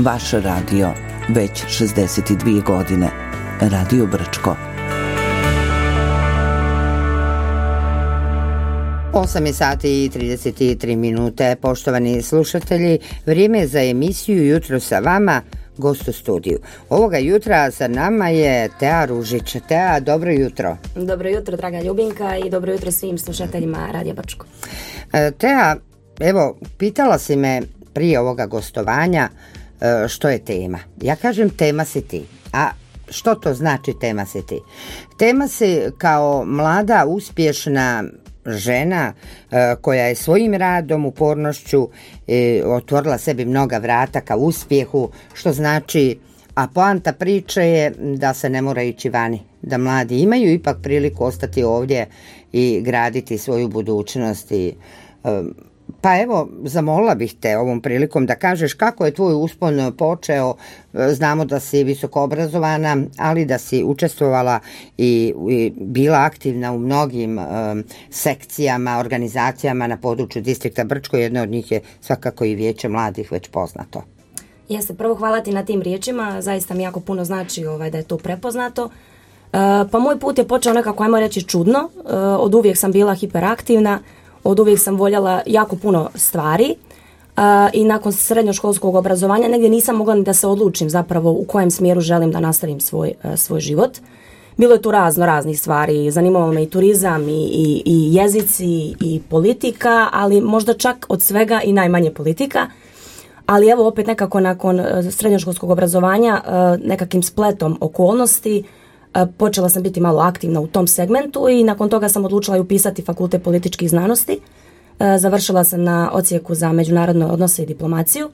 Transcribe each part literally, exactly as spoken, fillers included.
Vaš radio, već šezdeset dvije godine. Radio Brčko. osam je sati i trideset tri minute. Poštovani slušatelji, vrijeme je za emisiju Jutro sa vama, gost u studiju. Ovoga jutra sa nama je Tea Ružić. Tea, dobro jutro. Dobro jutro, draga Ljubinka, i dobro jutro svim slušateljima Radija Brčko. Tea, evo, pitala si me prije ovoga gostovanja što je tema. Ja kažem tema si ti. A što to znači tema si ti? Tema si kao mlada, uspješna žena koja je svojim radom, upornošću otvorila sebi mnoga vrata ka uspjehu, što znači, a poanta priče je da se ne mora ići vani, da mladi imaju ipak priliku ostati ovdje i graditi svoju budućnost. I, pa evo, zamolila bih te ovom prilikom da kažeš kako je tvoj uspon počeo. Znamo da si visoko obrazovana, ali da si učestvovala i, i bila aktivna u mnogim um, sekcijama, organizacijama na području distrikta Brčko. Jedna od njih je svakako i Vijeće mladih, već poznato. Jeste, prvo hvala ti na tim riječima, zaista mi jako puno znači ovaj, da je to prepoznato. Uh, pa moj put je počeo nekako, ajmo reći, čudno. Uh, od uvijek sam bila hiperaktivna, od uvijek sam voljela jako puno stvari uh, i nakon srednjoškolskog obrazovanja negdje nisam mogla ni da se odlučim zapravo u kojem smjeru želim da nastavim svoj, uh, svoj život. Bilo je tu razno raznih stvari, zanimalo me i turizam i, i, i jezici i politika, ali možda čak od svega i najmanje politika. Ali evo opet nekako nakon uh, srednjoškolskog obrazovanja uh, nekakvim spletom okolnosti počela sam biti malo aktivna u tom segmentu i nakon toga sam odlučila i upisati Fakultet političkih znanosti. Završila sam na odsjeku za međunarodne odnose i diplomaciju,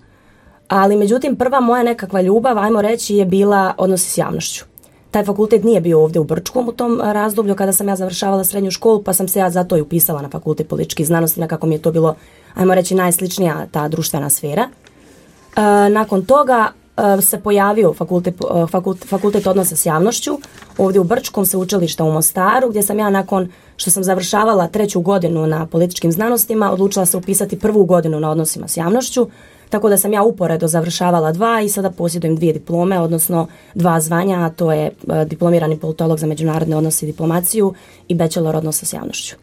ali međutim prva moja nekakva ljubav, ajmo reći, je bila odnosi s javnošću. Taj fakultet nije bio ovdje u Brčkom u tom razdoblju kada sam ja završavala srednju školu, pa sam se ja zato i upisala na Fakultet političkih znanosti, nekako mi je to bilo, ajmo reći, najsličnija ta društvena sfera. Nakon toga se pojavio fakultet, fakultet, fakultet odnosa s javnošću ovdje u Brčkom, sveučilišta u Mostaru, gdje sam ja nakon što sam završavala treću godinu na političkim znanostima odlučila se upisati prvu godinu na odnosima s javnošću, tako da sam ja uporedo završavala dva i sada posjedujem dvije diplome, odnosno dva zvanja, a to je diplomirani politolog za međunarodne odnose i diplomaciju i bachelor odnosa s javnošću.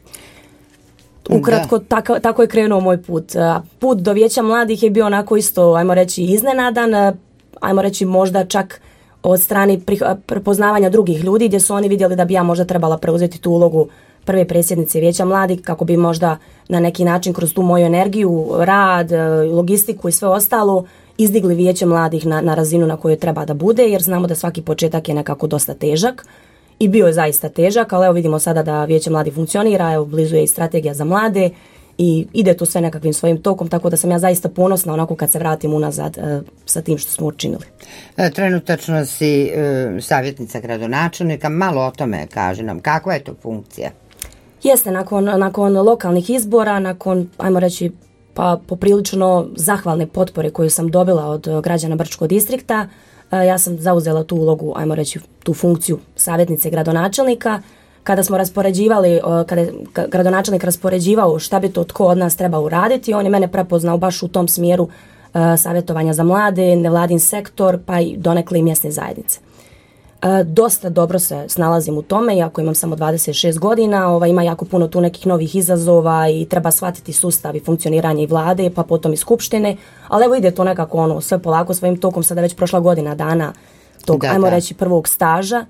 Ukratko, tako, tako je krenuo moj put. Put do Vijeća mladih je bio onako isto, ajmo reći, iznenadan, ajmo reći možda čak od strane prepoznavanja drugih ljudi, gdje su oni vidjeli da bi ja možda trebala preuzeti tu ulogu prve predsjednice Vijeća mladih, kako bi možda na neki način kroz tu moju energiju, rad, logistiku i sve ostalo izdigli Vijeće mladih na, na razinu na kojoj treba da bude, jer znamo da svaki početak je nekako dosta težak. I bio je zaista težak, ali evo vidimo sada da Vijeće mladih funkcionira, evo blizu je i strategija za mlade i ide tu sve nekakvim svojim tokom, tako da sam ja zaista ponosna onako kad se vratim unazad e, sa tim što smo učinili. Trenutačno si e, savjetnica gradonačelnika, malo o tome kaže nam, kakva je to funkcija? Jeste, nakon, nakon lokalnih izbora, nakon, ajmo reći, pa poprilično zahvalne potpore koju sam dobila od građana Brčkog distrikta, ja sam zauzela tu ulogu, ajmo reći, tu funkciju savjetnice gradonačelnika. Kada smo raspoređivali, kada je gradonačelnik raspoređivao šta bi to tko od nas treba uraditi, on je mene prepoznao baš u tom smjeru uh, savjetovanja za mlade, nevladin sektor, pa i donekle i mjesne zajednice. Uh, dosta dobro se snalazim u tome, iako imam samo dvadeset šest godina, ovaj, ima jako puno tu nekih novih izazova i treba shvatiti sustav i funkcioniranje i vlade, pa potom i skupštine, ali evo ide to nekako ono, sve polako svojim tokom, sada već prošla godina dana tog, da, ajmo da. reći, prvog staža,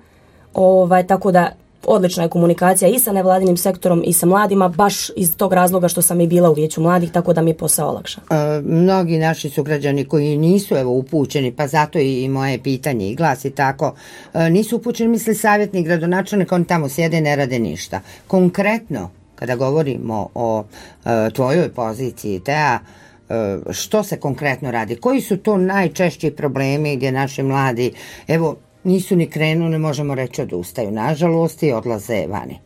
ovaj, tako da odlična je komunikacija i sa nevladinim sektorom i sa mladima, baš iz tog razloga što sam i bila u Vijeću mladih, tako da mi je posao olakšan. E, mnogi naši sugrađani koji nisu evo upućeni, pa zato i moje pitanje i glasi tako, e, nisu upućeni, misli savjetnik gradonačelnika, oni tamo sjede, ne rade ništa. Konkretno, kada govorimo o e, tvojoj poziciji, Tea, e, što se konkretno radi? Koji su to najčešći problemi gdje naši mladi, evo, nisu ni krenuli, možemo reći, odustaju, nažalost, i odlaze vani?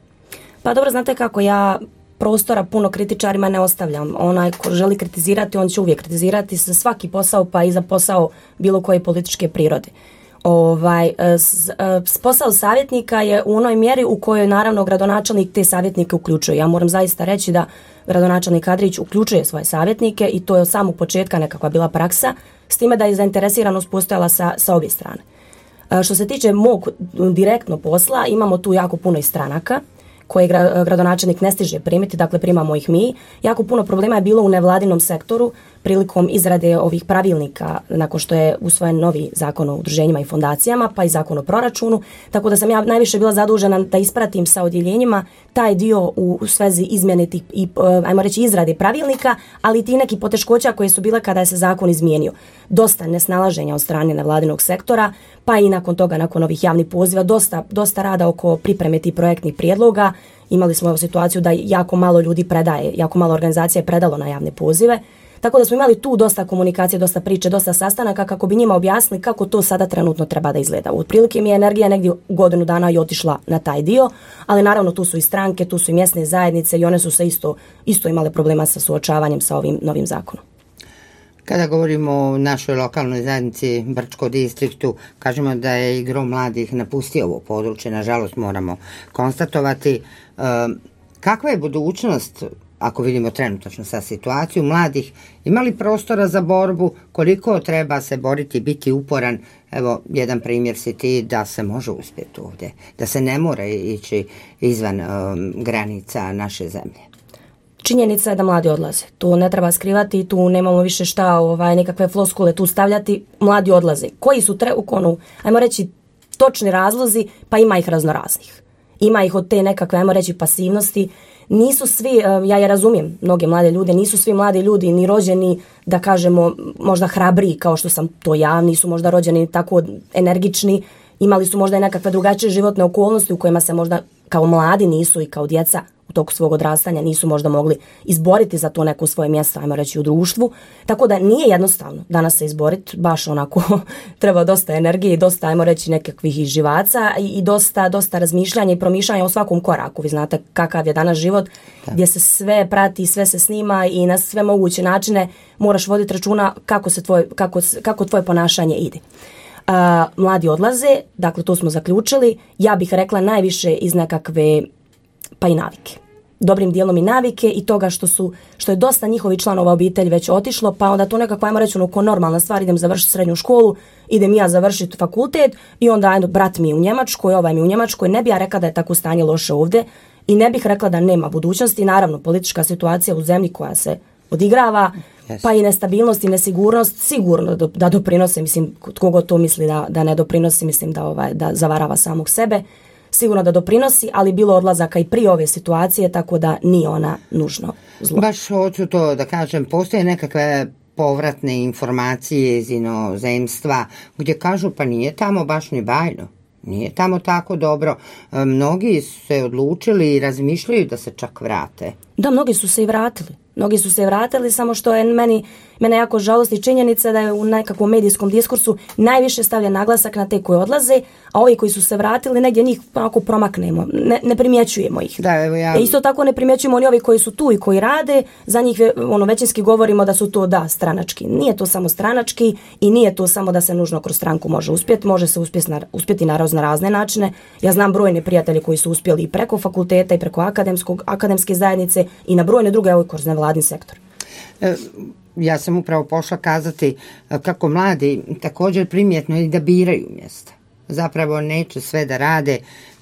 Pa dobro, znate kako, ja prostora puno kritičarima ne ostavljam. Onaj ko želi kritizirati, on će uvijek kritizirati za svaki posao, pa i za posao bilo koje političke prirode. Ovaj, s, s, posao savjetnika je u onoj mjeri u kojoj naravno gradonačelnik te savjetnike uključuje. Ja moram zaista reći da gradonačelnik Adrić uključuje svoje savjetnike i to je od samog početka nekakva bila praksa, s time da je zainteresiranost postojala sa, sa obje strane. Što se tiče mog direktno posla, imamo tu jako puno i stranaka koje gradonačelnik ne stiže primiti, dakle primamo ih mi. Jako puno problema je bilo u nevladinom sektoru prilikom izrade ovih pravilnika nakon što je usvojen novi zakon o udruženjima i fondacijama, pa i zakon o proračunu, tako da sam ja najviše bila zadužena da ispratim sa odjeljenjima taj dio u, u svezi izmjene tih i, ajmo reći, izrade pravilnika, ali i ti neki poteškoća koje su bile kada je se zakon izmijenio. Dosta nesnalaženja od strane nevladinog sektora, pa i nakon toga, nakon ovih javnih poziva, dosta, dosta rada oko pripreme tih projektnih prijedloga. Imali smo ovu situaciju da jako malo ljudi predaje, jako malo organizacija je predalo na javne pozive. Tako da smo imali tu dosta komunikacije, dosta priče, dosta sastanaka kako bi njima objasnili kako to sada trenutno treba da izgleda. Otprilike mi je energija negdje godinu dana i otišla na taj dio, ali naravno tu su i stranke, tu su i mjesne zajednice i one su se isto, isto imale problema sa suočavanjem sa ovim novim zakonom. Kada govorimo o našoj lokalnoj zajednici Brčko distriktu, kažemo da je i gro mladih napustio ovo područje, nažalost moramo konstatovati. E, kakva je budućnost, ako vidimo trenutačno sa situaciju mladih, imali prostora za borbu, koliko treba se boriti, biti uporan? Evo, jedan primjer si ti da se može uspjeti ovdje, da se ne mora ići izvan um, granica naše zemlje. Činjenica je da mladi odlaze. Tu ne treba skrivati, tu nemamo više šta, ovaj, nekakve floskule tu stavljati. Mladi odlaze. Koji su, tre, onu, ajmo reći, točni razlozi, pa ima ih raznoraznih. Ima ih od te nekakve, ajmo reći, pasivnosti. Nisu svi, ja je razumijem, mnoge mlade ljude, nisu svi mladi ljudi ni rođeni, da kažemo, možda hrabriji kao što sam to ja, nisu možda rođeni tako energični, imali su možda i nekakve drugačije životne okolnosti u kojima se možda kao mladi nisu i kao djeca u toku svog odrastanja nisu možda mogli izboriti za to neko svoje mjesto, ajmo reći, u društvu. Tako da nije jednostavno danas se izboriti, baš onako treba dosta energije i dosta, ajmo reći, nekakvih živaca i, i dosta, dosta razmišljanja i promišljanja o svakom koraku. Vi znate kakav je danas život, da, gdje se sve prati, sve se snima i na sve moguće načine moraš voditi računa kako, se tvoj, kako, kako tvoje ponašanje ide. Uh, mladi odlaze, dakle to smo zaključili, ja bih rekla najviše iz nekakve pa i navike. Dobrim dijelom i navike i toga što su što je dosta njihovi članova obitelji već otišlo, pa onda to nekako, ajmo reći, ono ko normalna stvar, idem završiti srednju školu, idem ja završiti fakultet i onda ajde, brat mi je u Njemačkoj, ovaj mi je u Njemačkoj, ne bih ja rekla da je tako stanje loše ovdje i ne bih rekla da nema budućnosti. Naravno, politička situacija u zemlji koja se odigrava, yes, pa i nestabilnost i nesigurnost sigurno da, da doprinose, mislim, kogo to misli da, da ne doprinosi, mislim da, ovaj, da zavarava samog sebe. Sigurno da doprinosi, ali bilo odlazaka i prije ove situacije, tako da nije ona nužno zlo. Baš hoću to da kažem, postoje nekakve povratne informacije iz inozemstva gdje kažu pa nije tamo baš ni bajno, nije tamo tako dobro. Mnogi su se odlučili i razmišljaju da se čak vrate. Da, mnogi su se i vratili. Mnogi su se vratili, samo što je meni, mene jako žalosti činjenica da je u nekakvom medijskom diskursu najviše stavlja naglasak na te koji odlaze, a ovi koji su se vratili negdje njih onako promaknemo, ne, ne primjećujemo ih. Da, evo ja... E, isto tako ne primjećujemo ni ovi koji su tu i koji rade, za njih ono, većinski govorimo da su to da stranački. Nije to samo stranački i nije to samo da se nužno kroz stranku može uspjeti, može se uspjeti na, uspjeti na razne, razne načine. Ja znam brojne prijatelje koji su uspjeli i preko fakulteta i preko akademskog, akademske zajednice i na brojne druge ovoj kroz nevladin sektor. E, ja sam upravo pošla kazati kako mladi također primjetno i da biraju mjesta. Zapravo neće sve da rade,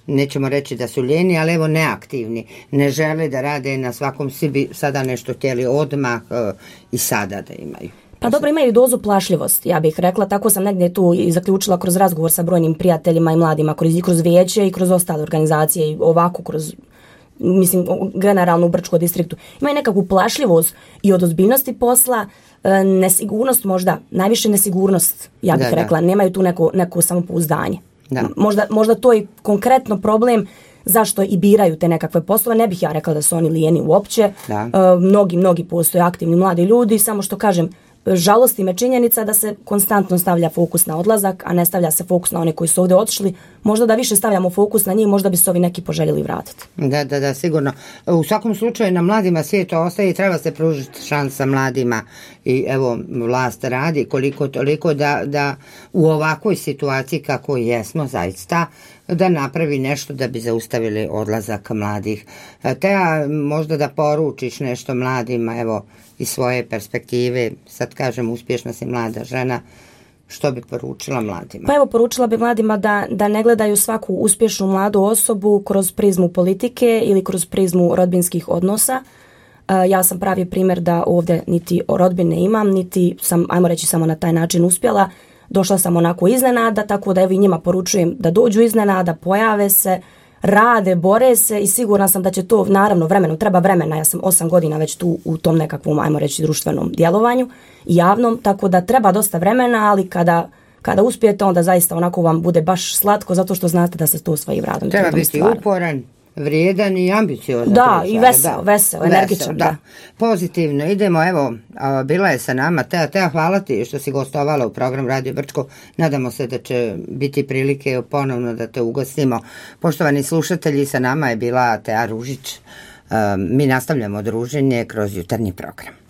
nećemo reći da su ljeni, ali evo neaktivni. Ne žele da rade na svakom, svi bi sada nešto htjeli odmah e, i sada da imaju. Pa dobro, imaju dozu plašljivosti, ja bih rekla, tako sam negdje tu i zaključila kroz razgovor sa brojnim prijateljima i mladima, kroz, i kroz vijeće i kroz ostale organizacije i ovako kroz, mislim, generalno u Brčko distriktu. Imaju nekakvu plašljivost i od ozbiljnosti posla, nesigurnost možda, najviše nesigurnost, ja bih da, rekla, da. Nemaju tu neko, neko samopouzdanje. Da. Možda, možda to je konkretno problem zašto i biraju te nekakve poslove. Ne bih ja rekla da su oni lijeni uopće. Da. E, mnogi, mnogi postoje aktivni mladi ljudi, samo što kažem, žalosti me činjenica da se konstantno stavlja fokus na odlazak, a ne stavlja se fokus na one koji su ovdje otišli. Možda da više stavljamo fokus na njih, možda bi se ovi neki poželjeli vratiti. Da, da, da, sigurno. U svakom slučaju na mladima svijet ostaje i treba se pružiti šansa mladima i evo vlast radi koliko toliko da, da u ovakvoj situaciji kako jesmo zaista da napravi nešto da bi zaustavili odlazak mladih. Te možda da poručiš nešto mladima, evo iz svoje perspektive, sad kažem uspješna si mlada žena, što bi poručila mladima? Pa evo, poručila bi mladima da, da ne gledaju svaku uspješnu mladu osobu kroz prizmu politike ili kroz prizmu rodbinskih odnosa. Uh, ja sam pravi primjer da ovdje niti rodbine imam, niti sam, ajmo reći, samo na taj način uspjela. Došla sam onako iznenada, tako da evo i njima poručujem da dođu iznenada, pojave se, rade, bore se i sigurna sam da će to, naravno, vremenom, treba vremena, ja sam osam godina već tu u tom nekakvom, ajmo reći, društvenom djelovanju i javnom, tako da treba dosta vremena, ali kada, kada uspijete, onda zaista onako vam bude baš slatko, zato što znate da se to svojim radom treba biti stvarno uporan, vrijedan i ambiciozan. Da, i veseo, veseo, energičan. Da. da. Pozitivno. Idemo, evo, bila je sa nama Tea. Tea, hvala ti što si gostovala u program Radio Brčko. Nadamo se da će biti prilike ponovno da te ugostimo. Poštovani slušatelji, sa nama je bila Tea Ružić. Mi nastavljamo druženje kroz jutarnji program.